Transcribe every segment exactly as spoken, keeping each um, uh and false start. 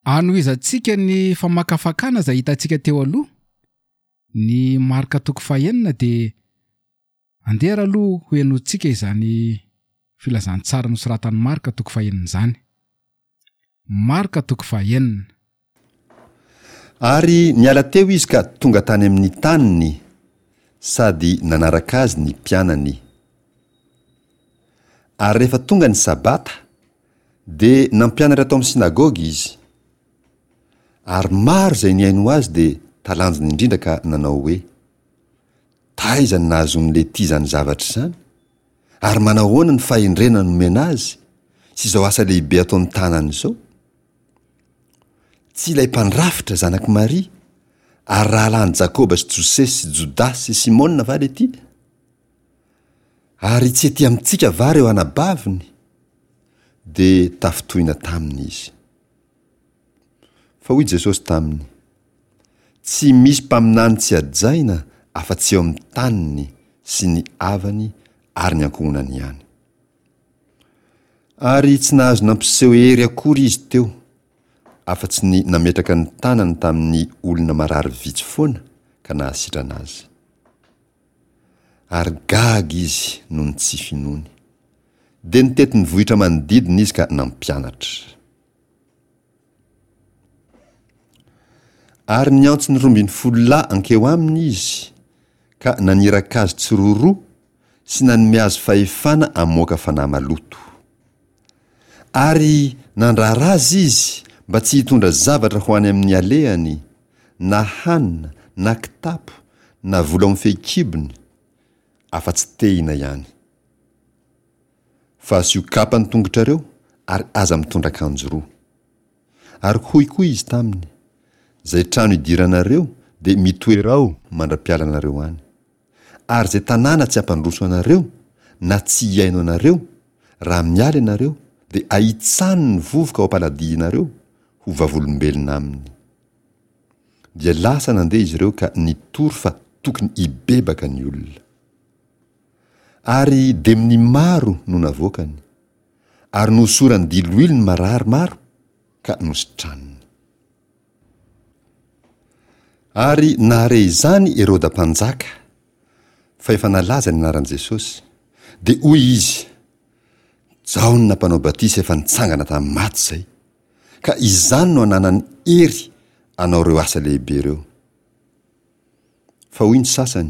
Anohizantsika ny famakafakana izay hitantsika teo aloha, ny Marka toko fahenina, dia andeha ary aloha ho henointsika izany filazantsara nosoratan'i Marka toko fahenina izany. Marka toko fahenina. Ary niala teo izy ka tonga tany amin'ny taniny, sady nanaraka azy ny mpianany. Ary rehefa tonga ny Sabata, dia nampianatra tao amin'ny synagoga izy. Ary maro izay nihaino azy dia talanjona indrindra ka nanao hoe, Taiza no nahazoan'i Lety izany zavatra izany? Ary manahoana ny fahendrena nomena azy, sy izao asa lehibe ataon'ny tanany izao? Tsy ilay mpandrafitra zanak'i Maria, ary rahalahin'i Jakoba sy Josesy sy Jodasy sy Simona va Lety? Ary tsy ety amintsika va ireo anabaviny? Dia tafintohina taminy izy. Fa hoy Jesosy taminy, Tsy misy mpaminany tsy hajaina afa-tsy eo amin'ny taniny sy ny havany ary ny ankohonany ihany. Ary tsy nahazo nampiseho hery akory izy teo, afa-tsy ny nametraka ny tanany tamin'ny olona marary vitsy foana ka nahasitrana azy. Ary gaga izy noho ny tsy finoany. Dia nitety ny vohitra manodidina izy ka nampianatra. Ary niantso ny roa ambin'ny folo lahy hankeo aminy izy, ka naniraka azy tsiroaroa sy nanome azy fahefana hamoaka fanahy maloto. Ary nandrara azy izy mba tsy hitondra zavatra ho any amin'ny alehany, na hanina, na kitapo, na vola ao amin'ny fehikibony, afa-tsy tehina ihany. Fa asio kapa ny tongotrareo ary aza mitondra akanjo roa. Ary hoy koa izy taminy, Izay trano idiranareo dia mitoera ao mandra-pialanareo any. Ary izay tanàna tsy hampandroso anareo, na tsy hihaino anareo, raha miala ianareo, dia ahitsano ny vovoka ao am-paladihinareo ho vavolombelona aminy. Dia lasa nandeha izy ireo ka nitory fa tokony hibebaka ny olona. Ary demony maro no navoakany, ary nohosorany diloilo ny marary maro ka nositraniny. Ary nahare izany Heroda mpanjaka, fa efa nalaza ny anaran'i Jesosy, dia hoy izy, Jaona mpanao batisa efa nitsangana tamin'ny maty izay, ka izany no ananany hery hanao ireo asa lehibe ireo. Fa hoy ny sasany,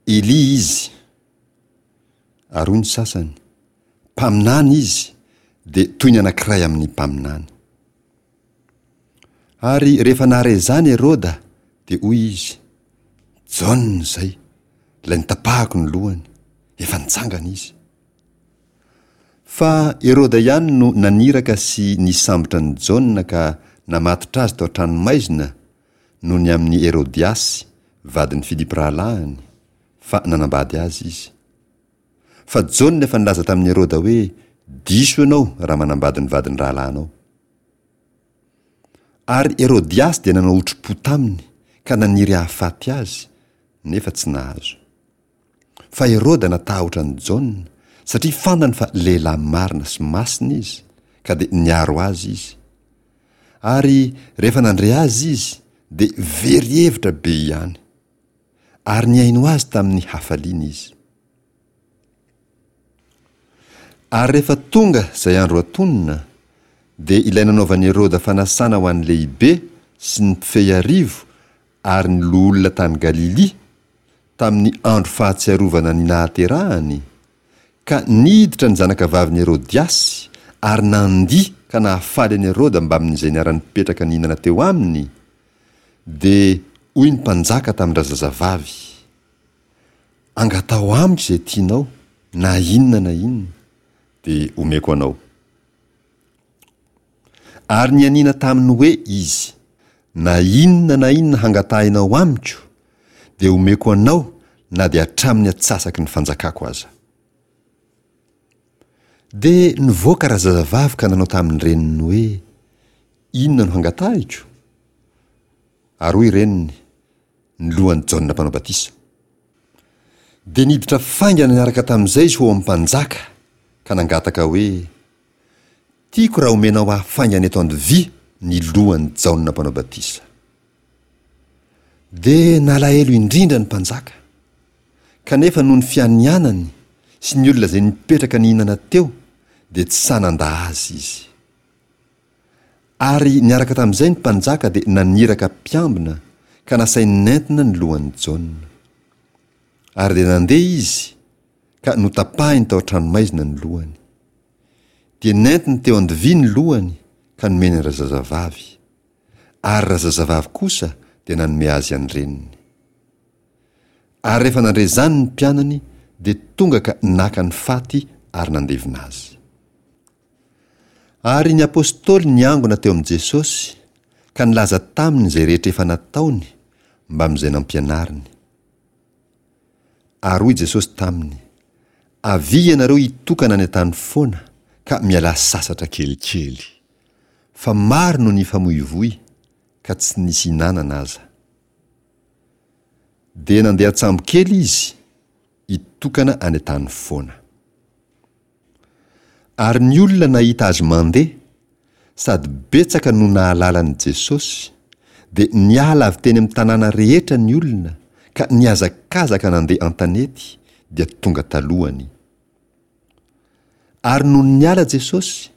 Elia izy. Ary hoy ny sasany, Mpaminany izy, dia toy ny anankiray amin'ny mpaminany. Ary rehefa nahare izany Heroda, dia hoy izy, Jaona izay, ilay notapahako ny lohany, efa nitsangana izy. Fa Heroda ihany no naniraka sy nisambotra an'i Jaona ka namatotra azy tao an-tranomaizina noho ny amin'i Herodiasy, vadin'i Filipo rahalahiny, fa nanambady azy izy. Fa Jaona efa nilaza tamin'i Heroda hoe, Diso ianao raha manambady ny vadin'ny rahalahinao. Ary Herodiasy dia nanao otri-po taminy ka naniry hahafaty azy, nefa tsy nahazo. Fa Heroda natahotra an'i Jaona, satria fantany fa lehilahy marina sy masina izy, ka dia niaro azy izy. Ary rehefa nandre azy izy, dia very hevitra be ihany. Ary nihaino azy tamin'ny hafaliana izy. Ary rehefa tonga izay andro antonona, dia ilay nanaovan'i Heroda fanasana ho an'ny lehibe sy ny mpifehy arivo ary ny loholona tany Galilia, tamin'ny andro fahatsiarovana ny nahaterahany, ka niditra ny zanakavavin'i Herodiasy ary nandihy ka nahafaly an'i Heroda mbamin'izay niara-nipetraka nihinana teo aminy, dia hoy ny mpanjaka tamin-drazazavavy, Angataho amiko izay tianao, na inona na inona, dia omeko anao. Ary nianiana taminy hoe izy, Na inona na inona hangatahinao amiko, dia omeko anao na dia hatramin'ny atsasaky ny fanjakako aza. Dia nivoaka razazavavy ka nanao tamin'ny reniny hoe, Inona no hangatahiko? Ary hoy reniny, Ny lohan'i Jaona Mpanao Batisa. Dia niditra faingana niaraka tamin'izay izy ho ao amin'ny mpanjaka, ka nangataka hoe, Tiako raha omenao ahy faingana eto an-dovia ny lohan'i Jaona Mpanao Batisa. Dia nalahelo indrindra ny mpanjaka. Kanefa noho ny fianianany sy ny olona izay nipetraka nihinana teo, dia tsy sahy nandà azy izy. Ary niaraka tamin'izay ny mpanjaka dia naniraka mpiambina ka nasainy nentina ny lohan'i Jaona. Ary dia nandeha izy ka notapahiny tao an-tranomaizina ny lohany. Dia nentiny teo an-dovia ny lohany ka nomeny an-drazazavavy. Ary razazavavy kosa dia nanome azy an-dreniny. Ary rehefa nandre izany ny mpianany dia tonga ka naka ny faty ary nandevina azy. Ary ny apostoly niangona teo amin'i Jesosy ka nilaza taminy izay rehetra efa nataony mbamin'izay nampianariny. Ary hoy Jesosy taminy, Avia ianareo hitokana any an-tany foana ka mialà sasatra kelikely. Fa maro no nifamoivoy ka tsy nisy hinanana aza. Dia nandeha an-tsambo kely izy hitokana any an-tany foana. Ary ny olona nahita azy mandeha, sady betsaka no nahalala an'i Jesosy, dia niala avy teny amin'ny tanàna rehetra ny olona ka nihazakazaka nandeha an-tanety dia tonga talohany. Ary nony niala Jesosy,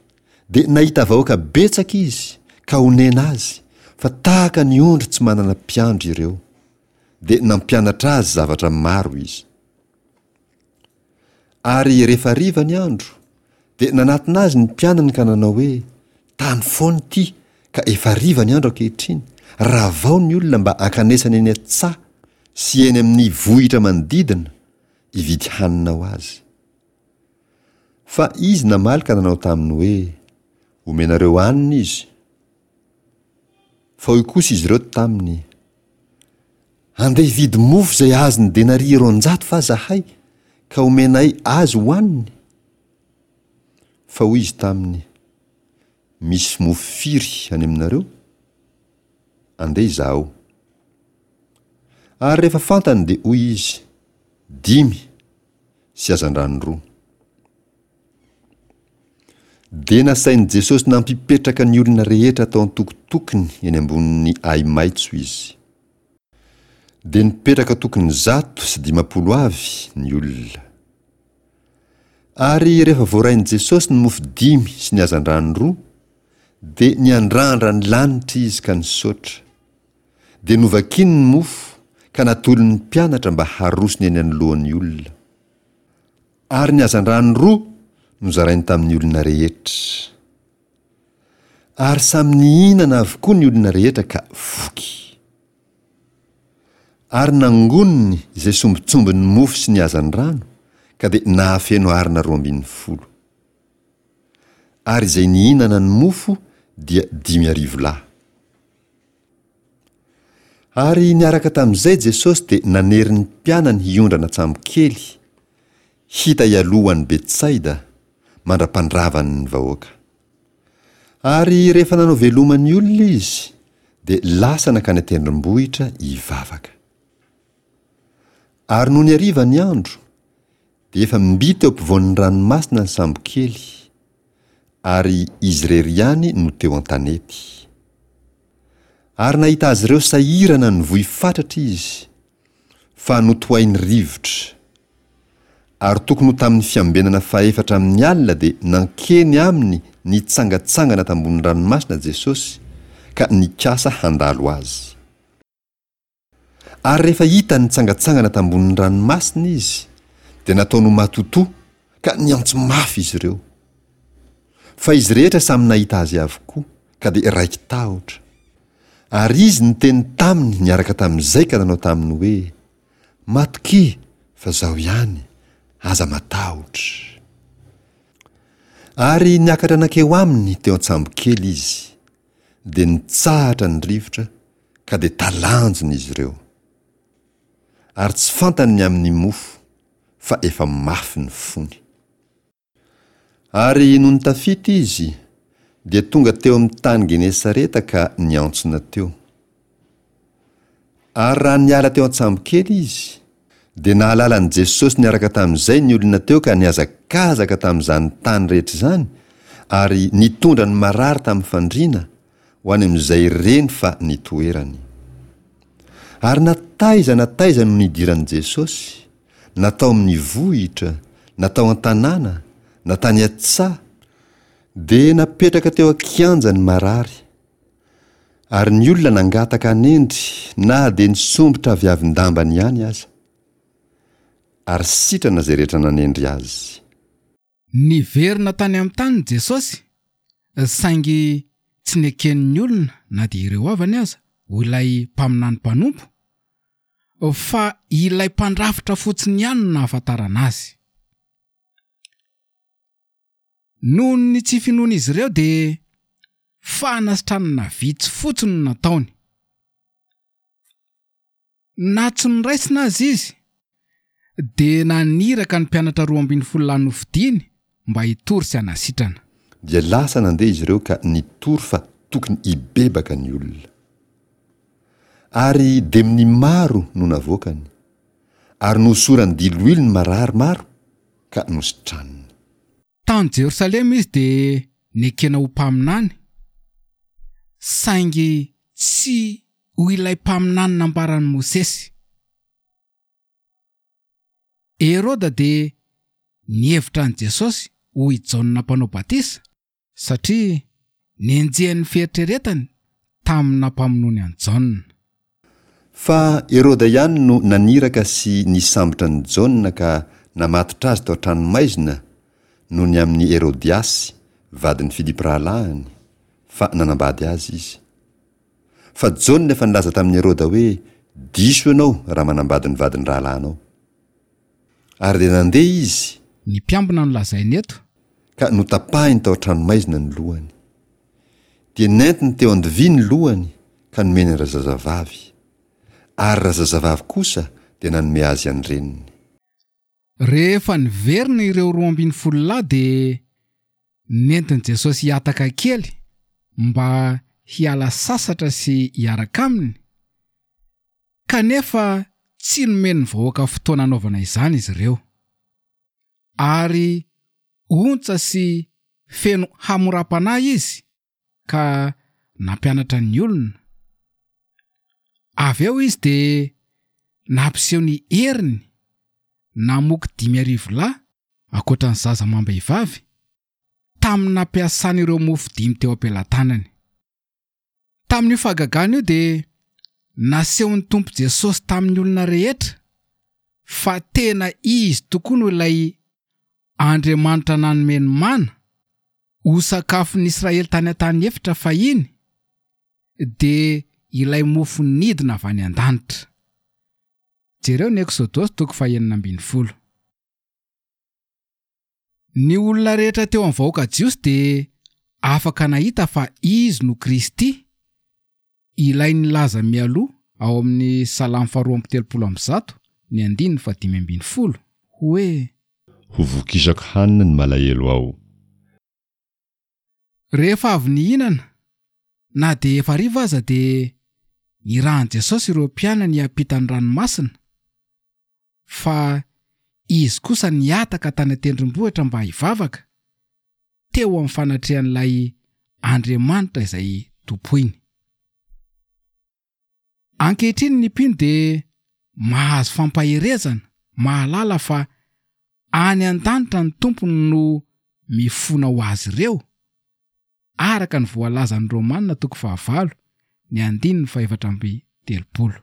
dia nahita vahoaka betsaka izy ka onena azy, fa tahaka ny ondry tsy manana mpiandry ireo. Dia nampianatra azy zavatra maro izy. Ary rehefa hariva ny andro, dia nanatona azy ny mpianany ka nanao hoe, Tany foana ity, ka efa hariva ny andro ankehitriny, ravao ny olona mba hankanesany eny an-tsaha sy eny amin'ny vohitra manodidina, hividy hanina ho azy. Fa izy namaly ka nanao taminy hoe, Omenareo hanina izy. Fa hoy kosa izy ireo taminy, Andeha hividy mofo izay azon'ny denaria roanjato va zahay, ka homenay azy hohaniny? Fa hoy izy taminy, Misy mofo firy any aminareo? Andeha izahao. Ary rehefa fantany dia hoy izy, Dimy, sy hazandrano roa. Dia nasain'i Jesosy nampipetraka ny olona rehetra tao an-tokotokony eny ambonin'ny ahi-maitso izy. Dia nipetraka tokony zato sy dimampolo avy ny olona. Ary rehefa voarain'i Jesosy ny mofo dimy sy ny hazandrano roa, dia niandrandra ny lanitra izy ka nisaotra. Dia novakiny ny mofo ka natolony ny mpianatra mba harosony eny anoloan'ny olona. Ary ny hazandrano roa nozarainy tamin'ny olona rehetra. Ary samy nihinana avokoa ny olona rehetra ka voky. Ary nangoniny izay sombintsombin'ny mofo sy ny hazandrano, ka dia nahafeno harona roa ambin'ny folo. Ary izay nihinana ny mofo dia dimy arivo lahy. Ary niaraka tamin'izay Jesosy dia nanery ny mpianany hiondrana an-tsambokely, hita hialoha ho any Betsaida, mandra-pandravany ny vahoaka. Ary rehefa nanao veloma ny olona izy, dia lasa nankany an-tendrombohitra hivavaka. Ary nony hariva ny andro, dia efa mby teo ampovoan'ny ranomasina ny sambokely, ary izy irery ihany no teo an-tanety. Ary nahita azy ireo sahirana nivoy fatratra izy, fa notohain'ny rivotra. Ary tokony ho tamin'ny fiambenana fahefatra amin'ny alina dia nankeny aminy nitsangantsangana tambony ranomasina Jesosy, ka nikasa handalo azy. Ary rehefa hitany nitsangantsangana tambonin'ny ranomasina izy, dia nataony ho matotoa, ka niantso mafy izy ireo. Fa izy rehetra samy nahita azy avokoa, ka dia raiki-tahotra. Ary izy niteny taminy niaraka tamin'izay ka nanao taminy hoe, Matokia, fa Izaho ihany, aza matahotra. Ary niakatra nankeo aminy teo an-tsambokely izy. Dia nitsahatra ny rivotra, ka dia talanjona izy ireo. Ary tsy fantany ny amin'ny mofo, fa efa mafy ny fony. Ary nony tafita izy, dia tonga teo amin'ny tany Genesareta ka niantsona teo. Ary raha niala teo an-tsambokely izy, dia nahalala an'i Jesosy niaraka tamin'izay ny olona teo ka nihazakazaka tamin'izany tany rehetra izany, ary nitondra ny marary tamin'ny fandriana, ho any amin'izay reny fa nitoerany. Ary na taiza na taiza no nidiran'i Jesosy, na tao amin'ny vohitra, na tao an-tanàna, na tany an-tsaha, dia napetraka teo an-kianja ny marary. Ary ny olona nangataka hanendry na dia ny sombitra aviavin-dambany ihany aza. Ary sitrana izay rehetra nanendry azy. Niverina tany amin'ny taniny Jesosy, saingy tsy neken'ny olona na dia ireo havany aza ho ilay mpaminany mpanompo, fa ilay mpandrafitra fotsiny ihany no nahafantarana azy. Noho ny tsy finoan'izy ireo dia fanasitranana vitsy fotsiny no nataony. Na tsy noraisina aza izy, dia naniraka ny mpianatra roa ambin'ny folo lahy nofidiny mba hitory sy hanasitrana. Dia lasa nandeha izy ireo ka nitory fa tokony hibebaka ny olona. Ary demony maro no navoakany, ary nohosorany diloilo ny marary maro ka nositraniny. Tany Jerosalema izy dia nekena ho mpaminany, saingy tsy ho ilay mpaminany nambaran'i Mosesy. Heroda dia nihevitra an'i Jesosy ho i Jaona mpanao batisa, satria nenjehan'ny fieritreretany tamin'ny nampamonoany an'i Jaona. Fa Heroda ihany no naniraka sy nisambotra an'i Jaona ka namatotra azy tao an-tranomaizina noho ny amin'i Herodiasy, vadin'i Filipo rahalahiny, fa nanambady azy izy. Fa Jaona efa nilaza tamin'i Heroda hoe, Diso ianao raha manambady ny vadin'ny rahalahinao. Ary dia nandeha izy. Ny mpiambina no lazainy eto. Ka notapahiny tao an-tranomaizina ny lohany. Dia nentiny teo an-dovia ny lohany ka nomeny an-drazazavavy. Ary razazavavy kosa dia nanome azy an-dreniny. Rehefa niverina ireo roa ambin'ny folo lahy dia nentin'i Jesosy hihataka kely mba hiala sasatra sy hiaraka aminy, kanefa tsy nomen'ny vahoaka fotoana hanaovana izany izy ireo. Ary ontsa sy feno hamoram-panahy izy ka nampianatra ny olona. Avy eo izy dia nampiseho ny heriny namoky dimy arivo lahy ankoatra ny zaza amam-behivavy tamin'ny nampiasany ireo mofo dimy teo am-pelatanany. Tamin'io fahagagana io dia nasehon'ny Tompo Jesosy tamin'ny olona rehetra fa tena izy tokoa no ilay Andriamanitra nanome ny mana ho sakafon'ny Israely tany an-tany efitra fahiny, dia ilay mofo nidina avy any an-danitra. Jereo ny Eksodosy toko fahenina ambin'ny folo. Ny olona rehetra teo amin'ny vahoaka jiosy dia afaka nahita fa izy no Kristy, ilay nilaza mialoha ao amin'ny Salamo faharoa amby telopolo amby zato ny andininy fahadimy ambin'ny folo hoe: Ho vokisako hanina ny malahelo ao. Rehefa avy nihinana, na dia efa hariva aza, dia nirahan'i Jesosy ireo mpianany hiampita ny ranomasina, fa izy kosa nihataka tany an-tendrombohitra mba hivavaka teo amin'ny fanatrehan'ilay Andriamanitra izay tompoiny. Ankehitriny ny mpino dia mahazo fampaherezana, mahalala fa any an-danitra ny tompony no mifona ho azy ireo, araka ny voalazan'ny Romana toko fahavalo ny andininy fahefatra amby telopolo.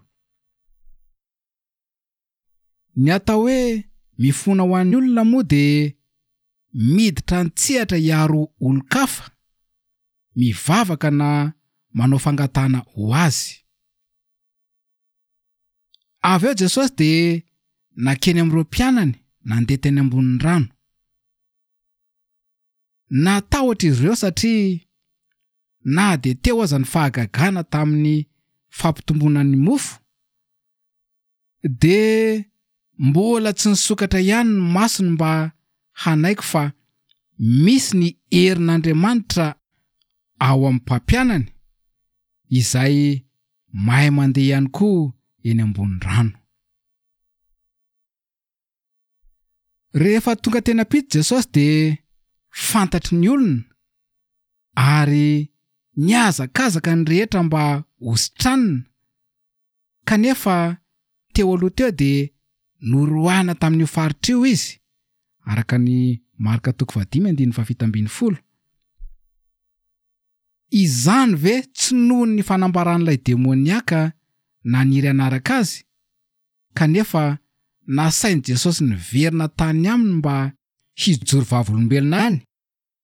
Ny atao hoe mifona ho an'ny olona moa dia miditra an-tsehatra hiaro olon-kafa, mivavaka na manao fangatahana ho azy. Avy eo Jesosy dia nankeny amin'ireo mpianany nandeha teny ambonin'ny rano. Natahotra izy ireo satria na dia teo aza ny fahagagana tamin'ny fampitomboana ny mofo, dia mbola tsy nisokatra ihany ny masony mba hanaiky fa misy ny herin'Andriamanitra ao amin'ny mpampianany izay mahay mandeha ihany koa eny ambony rano. Rehefa tonga teny am-pito Jesosy dia fantatry ny olona ary Nihazakazaka ny rehetra mba hositranina, kanefa teo aloha teo dia noroahina tamin'io faritra io izy, araka ny Marka toko fahadimy andininy fahafito ambin'ny folo. Izany ve tsy noho ny fanambaran'ilay demoniaka naniry hanaraka azy, kanefa nasain'i Jesosy niverina tany aminy mba hijoro vavolombelona any?